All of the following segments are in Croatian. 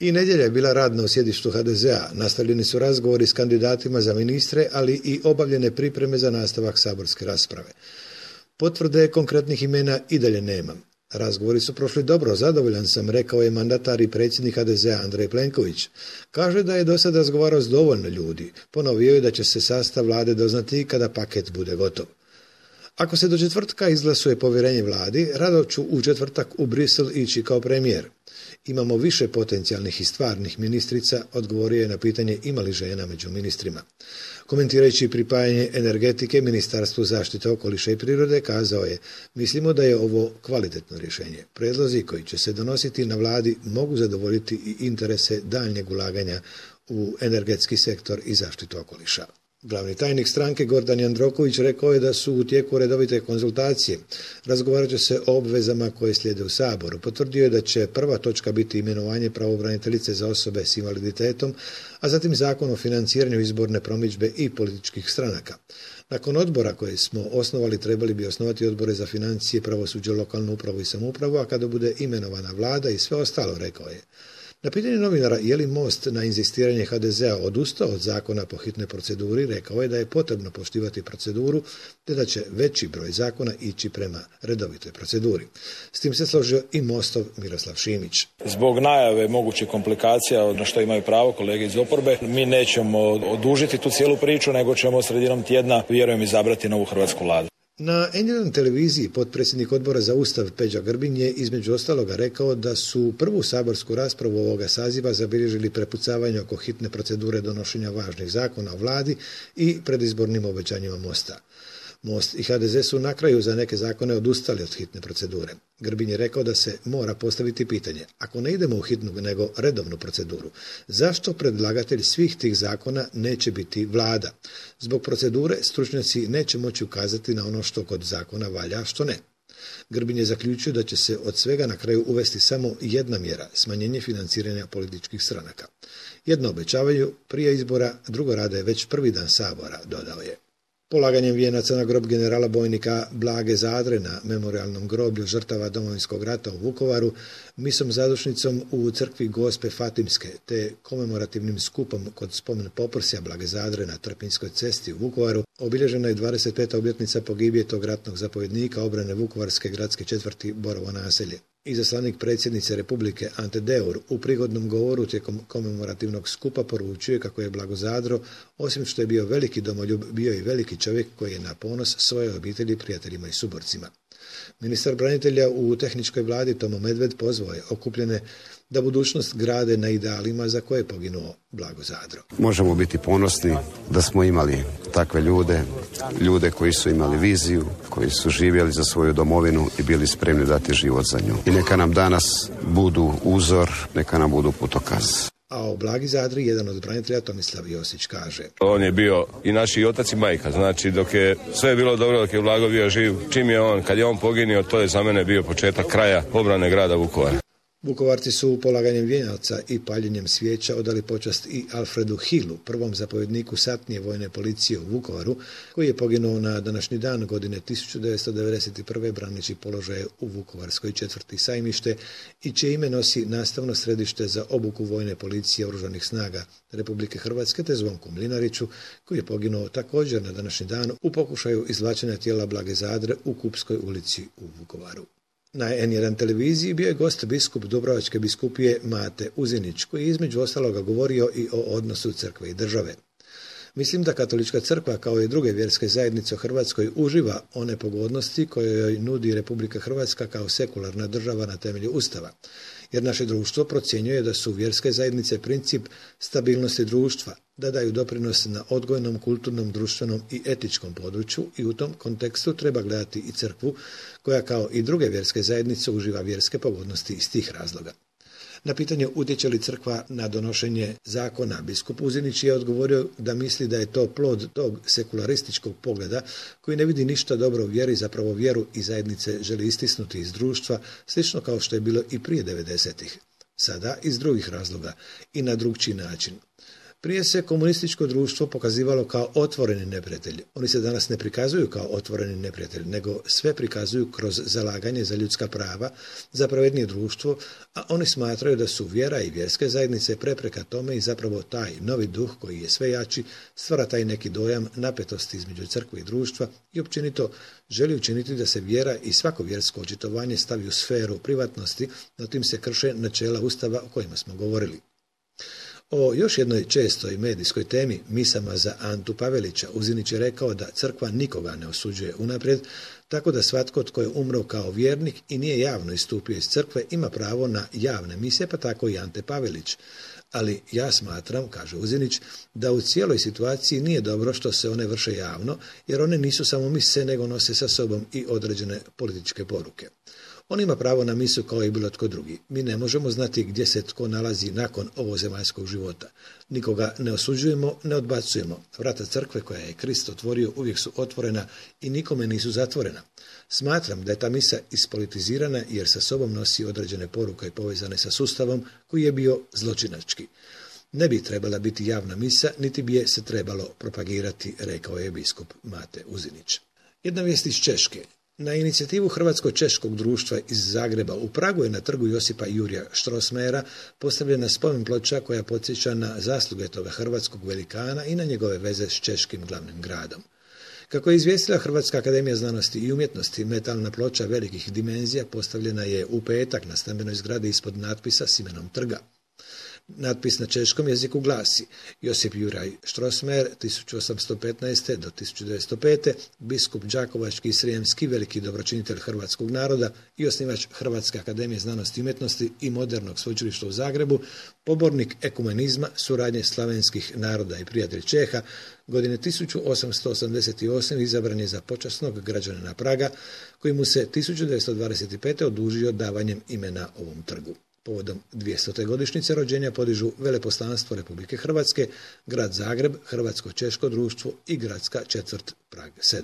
I nedjelja je bila radna u sjedištu HDZ-a. Nastavljeni su razgovori s kandidatima za ministre, ali i obavljene pripreme za nastavak saborske rasprave. Potvrde konkretnih imena i dalje nema. Razgovori su prošli dobro, zadovoljan sam, rekao je mandatar i predsjednik HDZ-a Andrej Plenković. Kaže da je do sada razgovarao s dovoljno ljudi. Ponovio je da će se sastav vlade doznati kada paket bude gotov. Ako se do četvrtka izglasuje povjerenje vladi, rado ću u četvrtak u Brisel ići kao premijer. Imamo više potencijalnih i stvarnih ministrica, odgovorio je na pitanje ima li žena među ministrima. Komentirajući pripajanje energetike Ministarstvu zaštite okoliša i prirode, kazao je: mislimo da je ovo kvalitetno rješenje. Prijedlozi koji će se donositi na vladi mogu zadovoljiti i interese daljnjeg ulaganja u energetski sektor i zaštitu okoliša. Glavni tajnik stranke Gordan Jandroković rekao je da su u tijeku redovite konzultacije. Razgovarat će se o obvezama koje slijede u Saboru. Potvrdio je da će prva točka biti imenovanje pravobraniteljice za osobe s invaliditetom, a zatim zakon o financiranju izborne promidžbe i političkih stranaka. Nakon odbora koje smo osnovali, trebali bi osnovati odbore za financije, pravosuđe, lokalnu upravu i samoupravu, a kada bude imenovana vlada i sve ostalo, rekao je. Na pitanje novinara je li Most na inzistiranje HDZ-a odustao od zakona po hitnoj proceduri, rekao je da je potrebno poštivati proceduru te da će veći broj zakona ići prema redovitoj proceduri. S tim se složio i Mostov Miroslav Šimić. Zbog najave mogućih komplikacija na što imaju pravo kolege iz oporbe, mi nećemo odužiti tu cijelu priču, nego ćemo sredinom tjedna, vjerujem, izabrati novu hrvatsku vladu. Na N1 televiziji potpredsjednik odbora za Ustav Peđa Grbin je između ostaloga rekao da su prvu saborsku raspravu ovoga saziva zabilježili prepucavanje oko hitne procedure donošenja važnih zakona o vladi i predizbornim obećanjima Mosta. Most i HDZ su na kraju za neke zakone odustali od hitne procedure. Grbin je rekao da se mora postaviti pitanje, ako ne idemo u hitnu nego redovnu proceduru, zašto predlagatelj svih tih zakona neće biti vlada? Zbog procedure stručnjaci neće moći ukazati na ono što kod zakona valja, a što ne. Grbin je zaključio da će se od svega na kraju uvesti samo jedna mjera, smanjenje financiranja političkih stranaka. Jedno obećavaju prije izbora, drugo rade već prvi dan Sabora, dodao je. Polaganjem vijenaca na grob generala bojnika Blage Zadre na memorijalnom groblju žrtava Domovinskog rata u Vukovaru, misom zadušnicom u crkvi Gospe Fatimske te komemorativnim skupom kod spomen poprsja Blage Zadre na Trpinjskoj cesti u Vukovaru obilježena je 25. obljetnica pogibije tog ratnog zapovjednika obrane Vukovarske gradske četvrti Borovo naselje. Izaslanik predsjednice Republike Ante Deur u prigodnom govoru tijekom komemorativnog skupa poručuje kako je Blago Zadro, osim što je bio veliki domoljub, bio i veliki čovjek koji je na ponos svoje obitelji, prijateljima i suborcima. Ministar branitelja u tehničkoj vladi Tomo Medved pozvao je okupljene da budućnost grade na idealima za koje je poginuo Blago Zadro. Možemo biti ponosni da smo imali takve ljude koji su imali viziju, koji su živjeli za svoju domovinu i bili spremni dati život za nju. I neka nam danas budu uzor, neka nam budu putokaz. A o Blagi Zadri jedan od branitelja Tomislav Josić kaže: on je bio i naši otac i majka, znači dok je sve bilo dobro, dok je Blago bio živ, kad je on poginio, to je za mene bio početak kraja obrane grada Vukovara. Vukovarci su polaganjem vijenaca i paljenjem svijeća odali počast i Alfredu Hillu, prvom zapovjedniku satnije vojne policije u Vukovaru, koji je poginuo na današnji dan godine 1991. braneći položaje u Vukovarskoj četvrti Sajmište i čije ime nosi nastavno središte za obuku vojne policije Oružanih snaga Republike Hrvatske, te Zvonku Mlinariću, koji je poginuo također na današnji dan u pokušaju izvlačenja tijela Blage Zadre u Kupskoj ulici u Vukovaru. Na N1 televiziji bio je gost biskup Dubrovačke biskupije Mate Uzinić, koji je između ostaloga govorio i o odnosu crkve i države. Mislim da Katolička crkva, kao i druge vjerske zajednice u Hrvatskoj, uživa one pogodnosti koje joj nudi Republika Hrvatska kao sekularna država na temelju Ustava. Jer naše društvo procjenjuje da su vjerske zajednice princip stabilnosti društva, da daju doprinos na odgojnom, kulturnom, društvenom i etičkom području i u tom kontekstu treba gledati i crkvu, koja kao i druge vjerske zajednice uživa vjerske pogodnosti iz tih razloga. Na pitanje utječe li crkva na donošenje zakona, biskup Uzinić je odgovorio da misli da je to plod tog sekularističkog pogleda koji ne vidi ništa dobro u vjeri, zapravo vjeru i zajednice želi istisnuti iz društva, slično kao što je bilo i prije 90-ih. Sada iz drugih razloga i na drugčiji način. Prije se komunističko društvo pokazivalo kao otvoreni neprijatelj. Oni se danas ne prikazuju kao otvoreni neprijatelj, nego sve prikazuju kroz zalaganje za ljudska prava, za pravednije društvo, a oni smatraju da su vjera i vjerske zajednice prepreka tome i zapravo taj novi duh koji je sve jači stvara taj neki dojam napetosti između crkve i društva i općenito želi učiniti da se vjera i svako vjersko očitovanje stavi u sferu privatnosti, no tim se krše načela Ustava o kojima smo govorili. O još jednoj čestoj medijskoj temi, misama za Antu Pavelića, Uzinić je rekao da crkva nikoga ne osuđuje unaprijed, tako da svatko tko je umro kao vjernik i nije javno istupio iz crkve ima pravo na javne mise, pa tako i Ante Pavelić. Ali ja smatram, kaže Uzinić, da u cijeloj situaciji nije dobro što se one vrše javno, jer one nisu samo mise, nego nose sa sobom i određene političke poruke. On ima pravo na misu kao i bilo tko drugi. Mi ne možemo znati gdje se tko nalazi nakon ovozemaljskog života. Nikoga ne osuđujemo, ne odbacujemo. Vrata crkve koja je Krist otvorio uvijek su otvorena i nikome nisu zatvorena. Smatram da je ta misa ispolitizirana jer sa sobom nosi određene poruke povezane sa sustavom koji je bio zločinački. Ne bi trebala biti javna misa, niti bi je se trebalo propagirati, rekao je biskup Mate Uzinić. Jedna vijest iz Češke. Na inicijativu Hrvatsko-češkog društva iz Zagreba u Pragu je na trgu Josipa Jurija Strossmayera postavljena spomen ploča koja podsjeća na zasluge toga hrvatskog velikana i na njegove veze s češkim glavnim gradom. Kako je izvijestila Hrvatska akademija znanosti i umjetnosti, metalna ploča velikih dimenzija postavljena je u petak na stambenoj zgradi ispod natpisa s imenom trga. Natpis na češkom jeziku glasi: Josip Juraj Strossmayer, 1815. do 1905. biskup đakovački i srijemski, veliki dobročinitelj hrvatskog naroda i osnivač Hrvatske akademije znanosti i umjetnosti i modernog sveučilišta u Zagrebu, pobornik ekumenizma, suradnje slavenskih naroda i prijatelj Čeha, godine 1888. izabran je za počasnog građanina Praga, koji mu se 1925. odužio davanjem imena ovom trgu. Povodom 200. godišnjice rođenja podižu veleposlanstvo Republike Hrvatske, grad Zagreb, Hrvatsko-češko društvo i gradska četvrt Prag 7.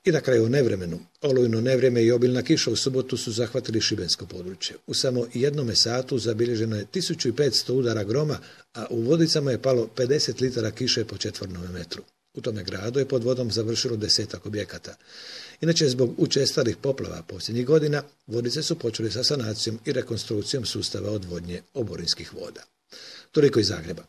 I na kraju o nevremenu. Olujno nevrijeme i obilna kiša u subotu su zahvatili šibensko područje. U samo jednome satu zabilježeno je 1500 udara groma, a u Vodicama je palo 50 litara kiše po četvornom metru. U tome gradu je pod vodom završilo 10 objekata. Inače, zbog učestalih poplava posljednjih godina, Vodice su počeli sa sanacijom i rekonstrukcijom sustava odvodnje oborinskih voda. Toliko iz Zagreba.